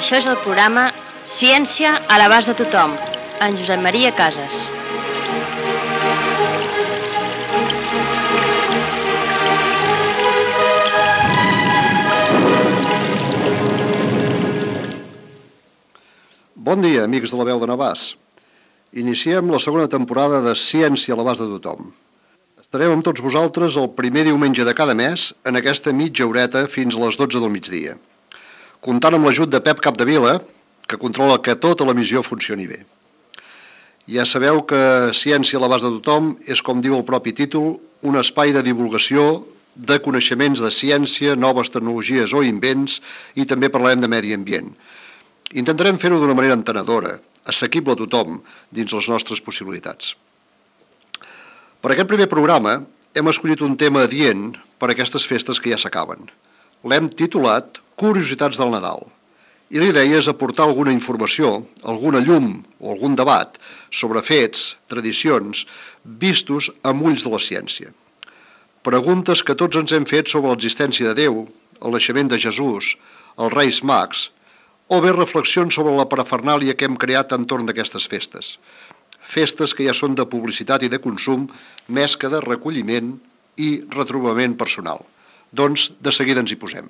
Això és el programa Ciència a l'abast de tothom, en Josep Maria Casas. Bon dia, amics de la veu de Navàs. Iniciem la segona temporada de Ciència a l'abast de tothom. Estarem amb tots vosaltres el primer diumenge de cada mes en aquesta mitja horeta fins a les 12 del migdia, comptant amb l'ajut de Pep Capdevila, que controla que tota l'emissió funcioni bé. Ja sabeu que Ciència a l'abast de tothom és, com diu el propi títol, un espai de divulgació de coneixements de ciència, noves tecnologies o invents, i també parlarem de medi ambient. Intentarem fer-ho d'una manera entenedora, assequible a tothom, dins les nostres possibilitats. Per aquest primer programa hem escollit un tema adient per a aquestes festes que ja s'acaben. L'hem titulat Curiositats del Nadal, i la idea és aportar alguna informació, alguna llum o algun debat sobre fets, tradicions, vistos amb ulls de la ciència. Preguntes que tots ens hem fet sobre l'existència de Déu, el naixement de Jesús, els Reis Mags, o bé reflexions sobre la parafernàlia que hem creat entorn d'aquestes festes. Festes que ja són de publicitat i de consum, més que de recolliment i retrobament personal. Doncs, de seguida ens hi posem.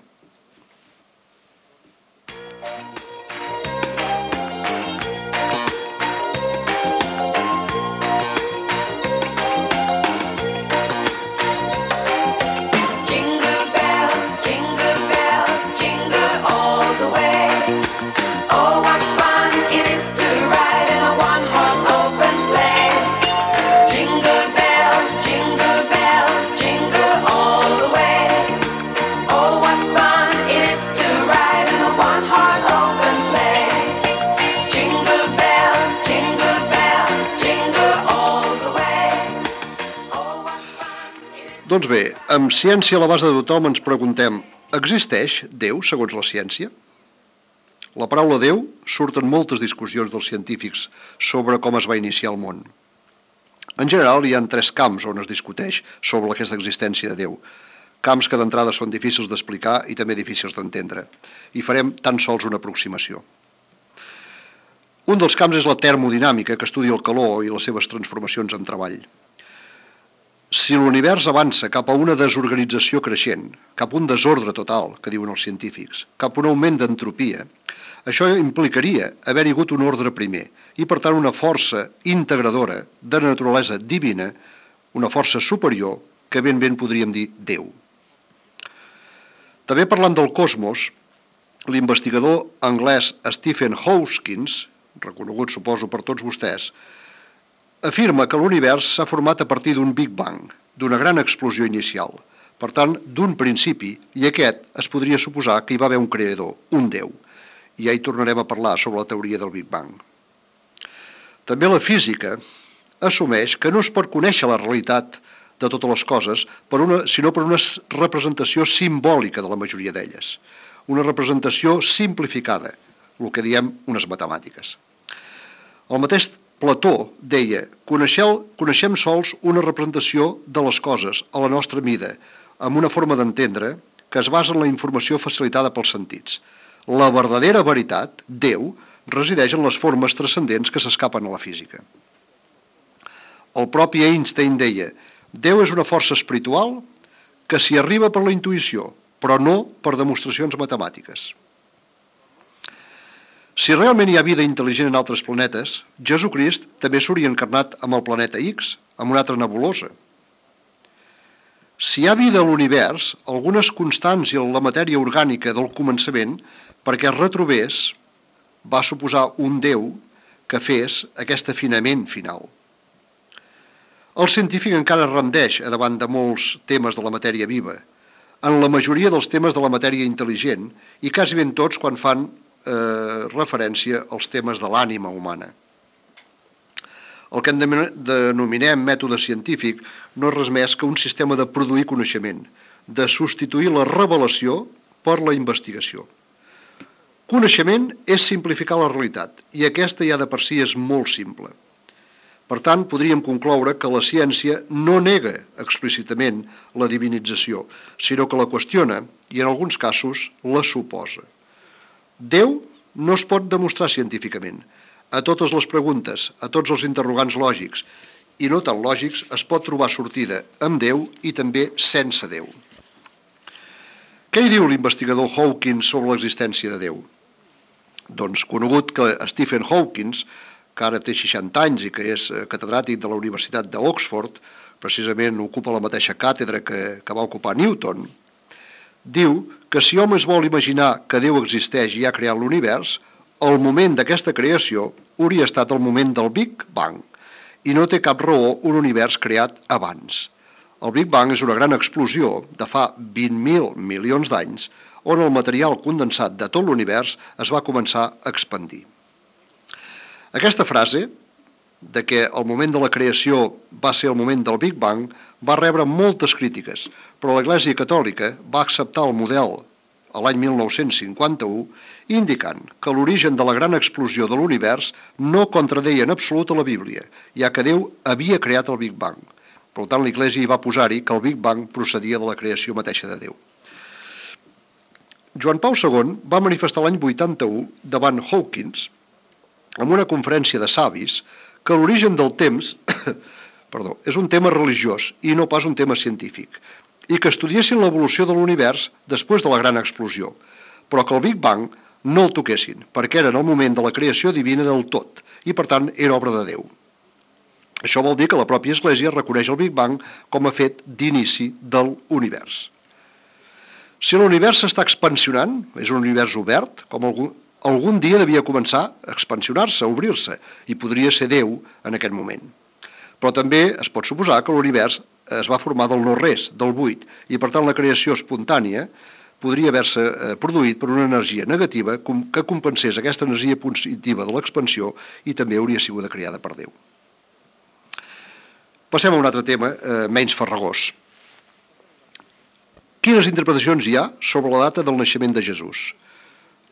Doncs bé, amb Ciència a l'abast de tothom ens preguntem: existeix Déu segons la ciència? La paraula Déu surt en moltes discussions dels científics sobre com es va iniciar el món. En general, hi ha 3 camps on es discuteix sobre aquesta existència de Déu. Camps que d'entrada són difícils d'explicar i també difícils d'entendre. I farem tan sols una aproximació. Un dels camps és la termodinàmica, que estudia el calor i les seves transformacions en treball. Si l'univers avança cap a una desorganització creixent, cap a un desordre total, que diuen els científics, cap a un augment d'entropia, això implicaria haver-hi hagut un ordre primer i, per tant, una força integradora de naturalesa divina, una força superior que ben podríem dir Déu. També parlant del cosmos, l'investigador anglès Stephen Hawking, reconegut suposo per tots vostès, afirma que l'univers s'ha format a partir d'un Big Bang, d'una gran explosió inicial, per tant, d'un principi, i aquest es podria suposar que hi va haver un creador, un Déu, i ja hi tornarem a parlar sobre la teoria del Big Bang. També la física assumeix que no es pot conèixer la realitat de totes les coses, sinó per una representació simbòlica de la majoria d'elles, una representació simplificada, el que diem unes matemàtiques. El mateix Plató deia: coneixem sols una representació de les coses a la nostra mida, amb una forma d'entendre que es basa en la informació facilitada pels sentits. La verdadera veritat, Déu, resideix en les formes transcendents que s'escapen a la física. El propi Einstein deia: Déu és una força espiritual que s'hi arriba per la intuïció, però no per demostracions matemàtiques. Si realment hi ha vida intel·ligent en altres planetes, Jesucrist també s'hauria encarnat amb el planeta X, amb una altra nebulosa. Si hi ha vida a l'univers, algunes constants i la matèria orgànica del començament, perquè es retrobés, va suposar un Déu que fes aquest afinament final. El científic encara rendeix davant de molts temes de la matèria viva, en la majoria dels temes de la matèria intel·ligent, i quasi ben tots quan fan referència als temes de l'ànima humana. El que denominem mètode científic no és res més que un sistema de produir coneixement, de substituir la revelació per la investigació. Coneixement és simplificar la realitat, i aquesta ja de per si és molt simple. Per tant, podríem concloure que la ciència no nega explícitament la divinització, sinó que la qüestiona i, en alguns casos, la suposa. Déu no es pot demostrar científicament. A totes les preguntes, a tots els interrogants lògics i no tan lògics, es pot trobar sortida amb Déu i també sense Déu. Què hi diu l'investigador Hawkins sobre l'existència de Déu? Doncs conegut que Stephen Hawking, que ara té 60 anys i que és catedràtic de la Universitat d'Oxford, precisament ocupa la mateixa càtedra que va ocupar Newton, diu que si hom es vol imaginar que Déu existeix i ha creat l'univers, el moment d'aquesta creació hauria estat el moment del Big Bang i no té cap raó un univers creat abans. El Big Bang és una gran explosió de fa 20.000 milions d'anys on el material condensat de tot l'univers es va començar a expandir. Aquesta frase, de que el moment de la creació va ser el moment del Big Bang, va rebre moltes crítiques, però l'Església Catòlica va acceptar el model a l'any 1951, indicant que l'origen de la gran explosió de l'univers no contradeia en absolut a la Bíblia, ja que Déu havia creat el Big Bang. Per tant, l'Església hi va posar-hi que el Big Bang procedia de la creació mateixa de Déu. Joan Pau II va manifestar l'any 81 davant Hawkins, en una conferència de savis, que l'origen del temps és un tema religiós i no pas un tema científic, i que estudiessin l'evolució de l'univers després de la gran explosió, però que el Big Bang no el toquessin, perquè era en el moment de la creació divina del tot, i per tant era obra de Déu. Això vol dir que la pròpia Església reconeix el Big Bang com a fet d'inici de l'univers. Si l'univers s'està expansionant, és un univers obert, com algun dia devia començar a expansionar-se, a obrir-se, i podria ser Déu en aquest moment. Però també es pot suposar que l'univers es va formar del no-res, del buit, i per tant la creació espontània podria haver-se produït per una energia negativa que compensés aquesta energia positiva de l'expansió i també hauria sigut creada per Déu. Passem a un altre tema menys farragós. Quines interpretacions hi ha sobre la data del naixement de Jesús?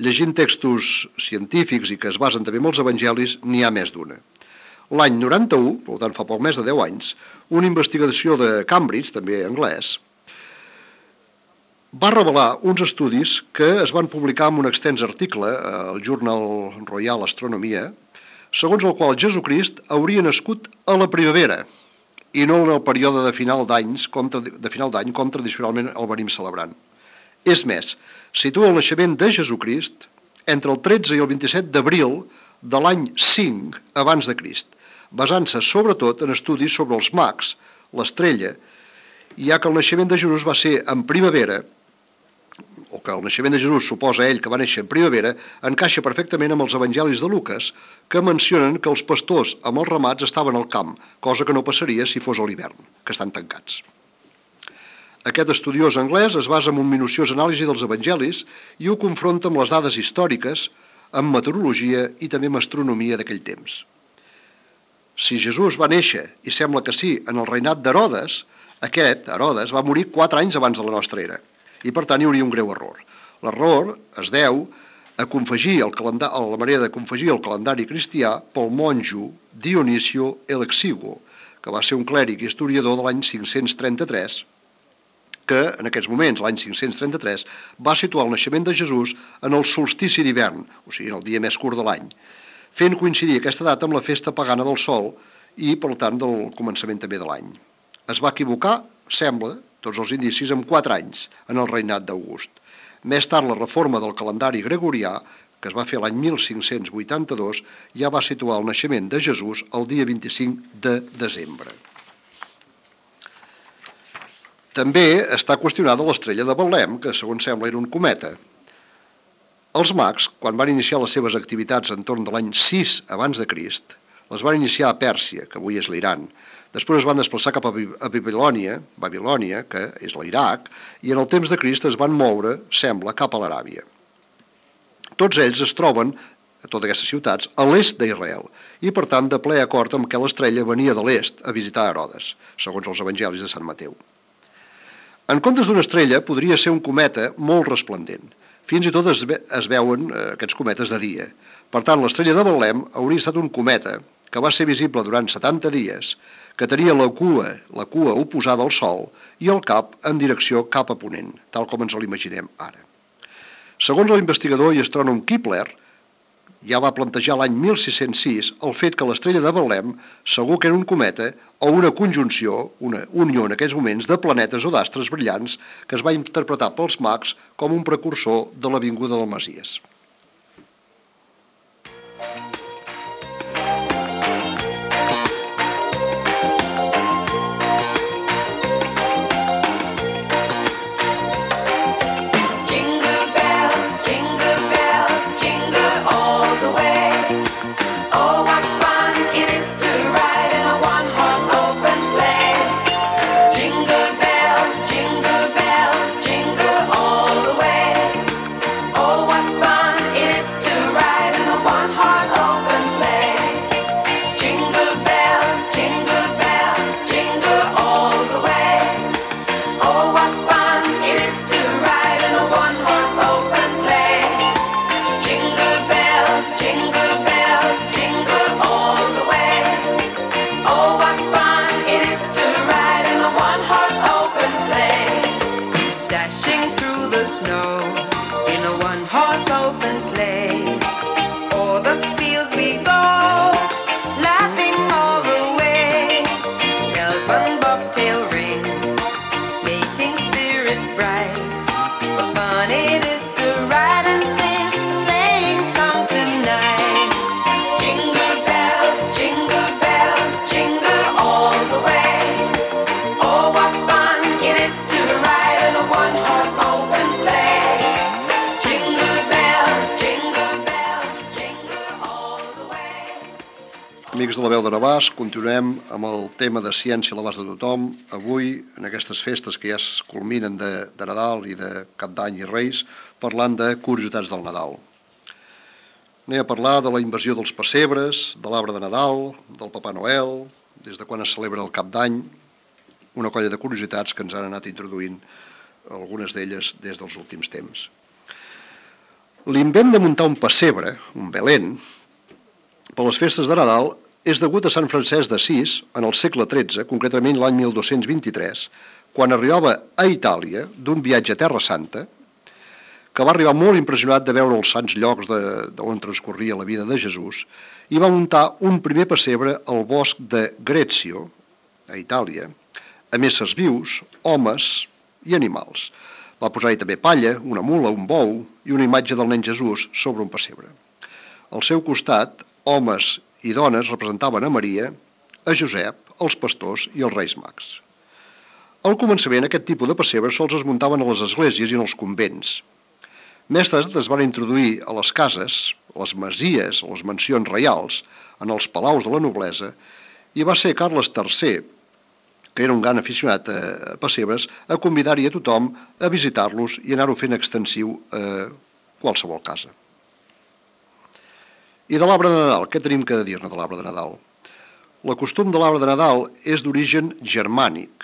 Llegint textos científics i que es basen també en els evangelis, n'hi ha més d'una. L'any 91, per tant fa poc més de 10 anys, una investigació de Cambridge, també anglès, va revelar uns estudis que es van publicar en un extens article al Journal Royal Astronomia, segons el qual Jesucrist hauria nascut a la primavera i no en el període de final d'any com tradicionalment el venim celebrant. És més, situa el naixement de Jesucrist entre el 13 i el 27 d'abril de l'any 5 abans de Crist, basant-se sobretot en estudis sobre els mags, l'estrella, ja que el naixement de Jesús va ser en primavera, o que el naixement de Jesús suposa ell que va néixer en primavera, encaixa perfectament amb els evangelis de Lucas, que mencionen que els pastors amb els ramats estaven al camp, cosa que no passaria si fos a l'hivern, que estan tancats. Aquest estudiós anglès es basa en un minuciós anàlisi dels evangelis i ho confronta amb les dades històriques, amb meteorologia i també amb astronomia d'aquell temps. Si Jesús va néixer, i sembla que sí, en el reinat d'Herodes, aquest, Herodes, va morir 4 anys abans de la nostra era, i per tant hi hauria un greu error. L'error es deu a la manera de confegir el calendari cristià pel monjo Dionisio el Exiguo, que va ser un clèric i historiador de l'any 533, que en aquests moments, l'any 533, va situar el naixement de Jesús en el solstici d'hivern, o sigui, en el dia més curt de l'any, fent coincidir aquesta data amb la festa pagana del sol i, per tant, del començament també de l'any. Es va equivocar, sembla, tots els indicis, en 4 anys en el reinat d'August. Més tard, la reforma del calendari gregorià, que es va fer l'any 1582, ja va situar el naixement de Jesús el dia 25 de desembre. També està qüestionada l'estrella de Betlem, que segons sembla era un cometa. Els mags, quan van iniciar les seves activitats entorn de l'any 6 abans de Crist, les van iniciar a Pèrsia, que avui és l'Iran. Després es van desplaçar cap a Babilònia, que és l'Iraq, i en el temps de Crist es van moure, sembla, cap a l'Aràbia. Tots ells es troben, a totes aquestes ciutats, a l'est d'Israel, i per tant de ple acord amb que l'estrella venia de l'est a visitar Herodes, segons els evangelis de Sant Mateu. En comptes d'una estrella, podria ser un cometa molt resplendent. Fins i tot es veuen aquests cometes de dia. Per tant, l'estrella de Betlem hauria estat un cometa que va ser visible durant 70 dies, que tenia la cua oposada al Sol i el cap en direcció cap a ponent, tal com ens l'imaginem ara. Segons l'investigador i astrònom Kepler, ja va plantejar l'any 1606 el fet que l'estrella de Betlem segur que era un cometa o una conjunció, una unió en aquells moments de planetes o d'astres brillants que es va interpretar pels mags com un precursor de la vinguda del Messies. Amics de la Veu de Navàs, continuem amb el tema de ciència a l'abast de tothom. Avui, en aquestes festes que ja es culminen de Nadal i de Cap d'Any i Reis, parlant de curiositats del Nadal. Anem a parlar de la invasió dels pessebres, de l'arbre de Nadal, del Papà Noel, des de quan es celebra el Cap d'Any, una colla de curiositats que ens han anat introduint algunes d'elles des dels últims temps. L'invent de muntar un pessebre, un Belén, per les festes de Nadal és degut a Sant Francesc d'Assís en el segle XIII, concretament l'any 1223, quan arribava a Itàlia d'un viatge a Terra Santa, que va arribar molt impressionat de veure els sants llocs d'on transcorria la vida de Jesús, i va muntar un primer pessebre al bosc de Grezio, a Itàlia, amb éssers vius, homes i animals. Va posar-hi també palla, una mula, un bou i una imatge del nen Jesús sobre un pessebre. Al seu costat, homes i dones representaven a Maria, a Josep, els pastors i els reis mags. Al començament, aquest tipus de pessebres sols es muntaven a les esglésies i en els convents. Més tard es van introduir a les cases, a les masies, a les mansions reials, en els palaus de la noblesa, i va ser Carles III, que era un gran aficionat a pessebres, a convidar-hi a tothom a visitar-los i anar-ho fent extensiu a qualsevol casa. I de l'arbre de Nadal, què tenim que dir-ne de l'arbre de Nadal? El costum de l'arbre de Nadal és d'origen germànic,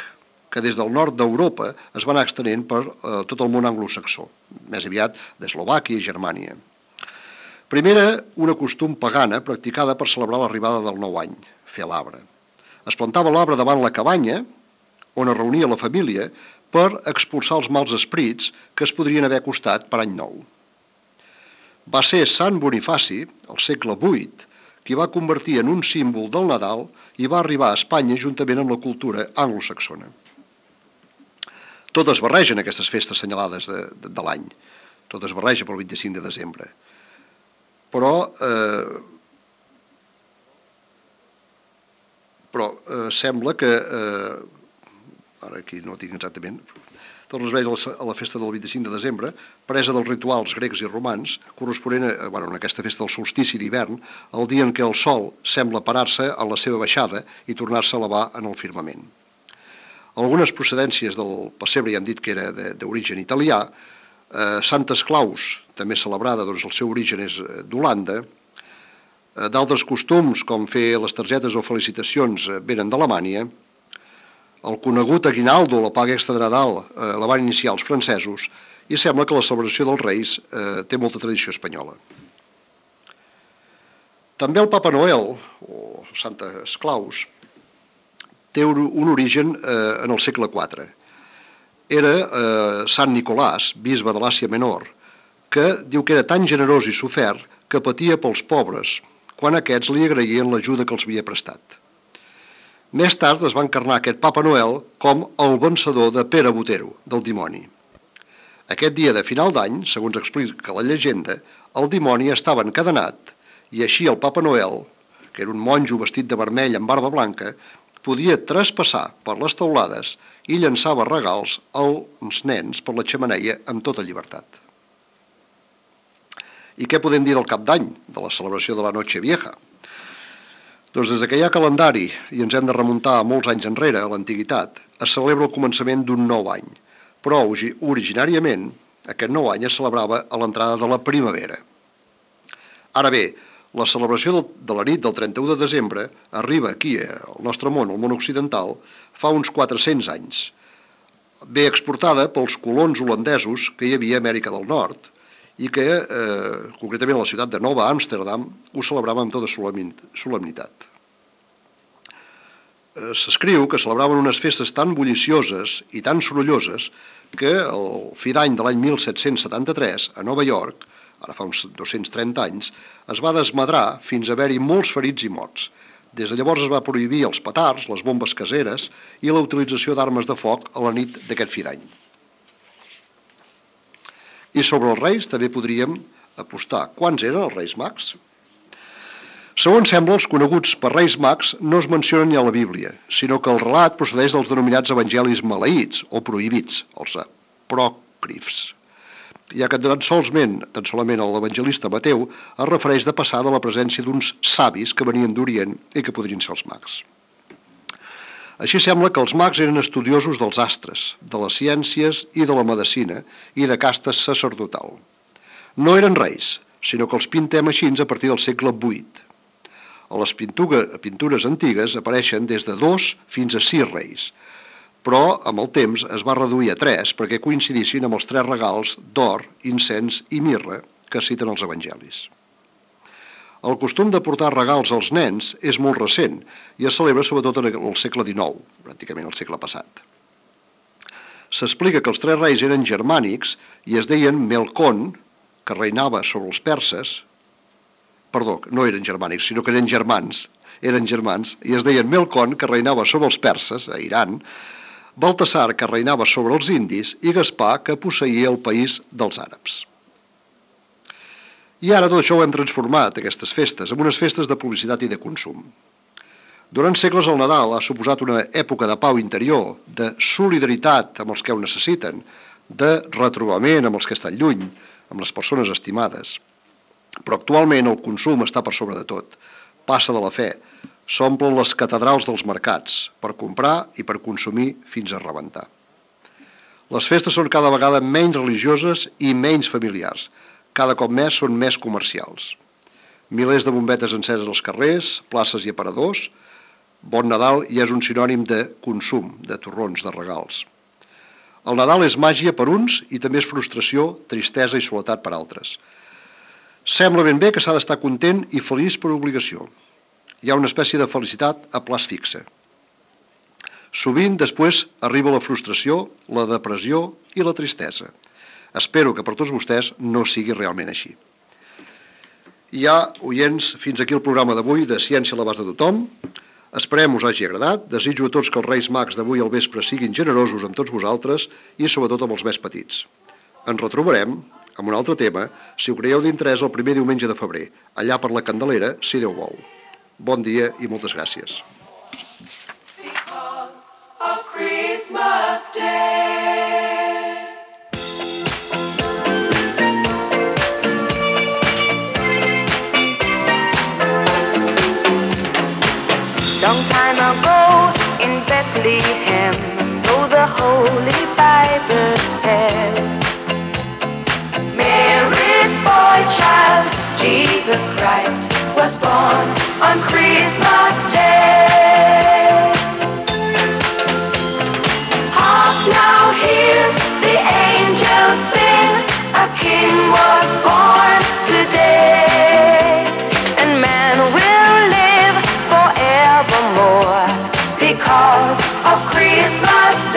que des del nord d'Europa es va anar extenent per tot el món anglosaxó, més aviat d'Eslovàquia i Germània. Primer era una costum pagana practicada per celebrar l'arribada del nou any, fer l'arbre. Es plantava l'arbre davant la cabanya, on es reunia la família, per expulsar els mals esprits que es podrien haver acostat per any nou. Va ser Sant Bonifaci, al segle VIII, qui va convertir en un símbol del Nadal i va arribar a Espanya juntament amb la cultura anglosaxona. Tot es barregen aquestes festes assenyalades de l'any. Tot es barreja pel 25 de desembre. Però sembla que... Ara aquí no tinc exactament... Tot es veia a la festa del 25 de desembre, presa dels rituals grecs i romans, corresponent en aquesta festa del solstici d'hivern, el dia en què el sol sembla parar-se en la seva baixada i tornar-se a elevar en el firmament. Algunes procedències del pessebre ja han dit que era d'origen italià. Santes Claus, també celebrada, doncs el seu origen és d'Holanda. D'altres costums, com fer les targetes o felicitacions, venen d'Alemanya. El conegut aguinaldo, la paga extra de Nadal, la van iniciar els francesos i sembla que la celebració dels Reis té molta tradició espanyola. També el Papa Noel, o Santes Claus, té un origen en el segle IV. Era Sant Nicolàs, bisbe de l'Àsia Menor, que diu que era tan generós i sofert que patia pels pobres, quan aquests li agraïen l'ajuda que els havia prestat. Més tard es va encarnar aquest Papa Noel com el vencedor de Pere Botero, del dimoni. Aquest dia de final d'any, segons explica la llegenda, el dimoni estava encadenat i així el Papa Noel, que era un monjo vestit de vermell amb barba blanca, podia traspassar per les teulades i llançava regals als nens per la xemeneia amb tota llibertat. I què podem dir del Cap d'Any, de la celebració de la Noche Vieja? Doncs des que hi ha calendari, i ens hem de remuntar molts anys enrere, a l'antiguitat, es celebra el començament d'un nou any, però originàriament aquest nou any es celebrava a l'entrada de la primavera. Ara bé, la celebració de la nit del 31 de desembre arriba aquí, al nostre món, al món occidental, fa uns 400 anys. Ve exportada pels colons holandesos que hi havia a Amèrica del Nord i que, concretament a la ciutat de Nova Amsterdam, ho celebrava amb tota solemnitat. S'escriu que celebraven unes festes tan bullicioses i tan sorolloses que el fi d'any de l'any 1773, a Nova York, ara fa uns 230 anys, es va desmadrar fins a haver-hi molts ferits i morts. Des de llavors es va prohibir els petards, les bombes caseres i la utilització d'armes de foc a la nit d'aquest fi d'any. I sobre els reis també podríem apostar. Quants eren els reis mags? Segons sembla, els coneguts per reis mags no es mencionen ni a la Bíblia, sinó que el relat procedeix dels denominats evangelis maleïts o prohibits, els apòcrifs. Ja que tan solament l'evangelista Mateu es refereix de passar de la presència d'uns savis que venien d'Orient i que podrien ser els mags. Així sembla que els mags eren estudiosos dels astres, de les ciències i de la medicina i de casta sacerdotal. No eren reis, sinó que els pintem així a partir del segle VIII. A les pintures antigues apareixen des de 2 fins a 6 reis, però amb el temps es va reduir a 3 perquè coincidissin amb els 3 regals d'or, incens i mirra que citen els evangelis. El costum de portar regals als nens és molt recent i es celebra sobretot en el segle XIX, pràcticament el segle passat. S'explica que els 3 reis eren germànics i es deien Melkon, que reinava sobre els perses. Perdó, no eren germànics, sinó que eren germans i es deien Melkon, que reinava sobre els perses, a Iran, Baltasar, que reinava sobre els indis, i Gaspar, que posseïa el país dels àrabs. I ara tot això ho hem transformat, aquestes festes, en unes festes de publicitat i de consum. Durant segles el Nadal ha suposat una època de pau interior, de solidaritat amb els que ho necessiten, de retrobament amb els que estan lluny, amb les persones estimades. Però actualment el consum està per sobre de tot, passa de la fe, s'omplen les catedrals dels mercats per comprar i per consumir fins a rebentar. Les festes són cada vegada menys religioses i menys familiars, cada cop més són més comercials. Milers de bombetes enceses als carrers, places i aparadors. Bon Nadal ja és un sinònim de consum, de torrons, de regals. El Nadal és màgia per uns i també és frustració, tristesa i soledat per altres. Sembla ben bé que s'ha d'estar content i feliç per obligació. Hi ha una espècie de felicitat a plaç fixe. Sovint després arriba la frustració, la depressió i la tristesa. Espero que per tots vostès no sigui realment així. I ja, oients, fins aquí el programa d'avui de Ciència a l'abast de tothom. Esperem us hagi agradat. Desitjo a tots que els Reis Mags d'avui al vespre siguin generosos amb tots vosaltres i sobretot amb els més petits. Ens retrobarem amb un altre tema, si ho creieu d'interès, el primer diumenge de febrer, allà per la Candelera, si Déu vol. Bon dia i moltes gràcies. Because of Christmas Day. Long time ago in Bethlehem, so the Holy Bible said, Mary's boy child, Jesus Christ, was born on Christmas Day. Hark now, hear the angels sing, a king was born today, and man will live forevermore because of Christmas Day.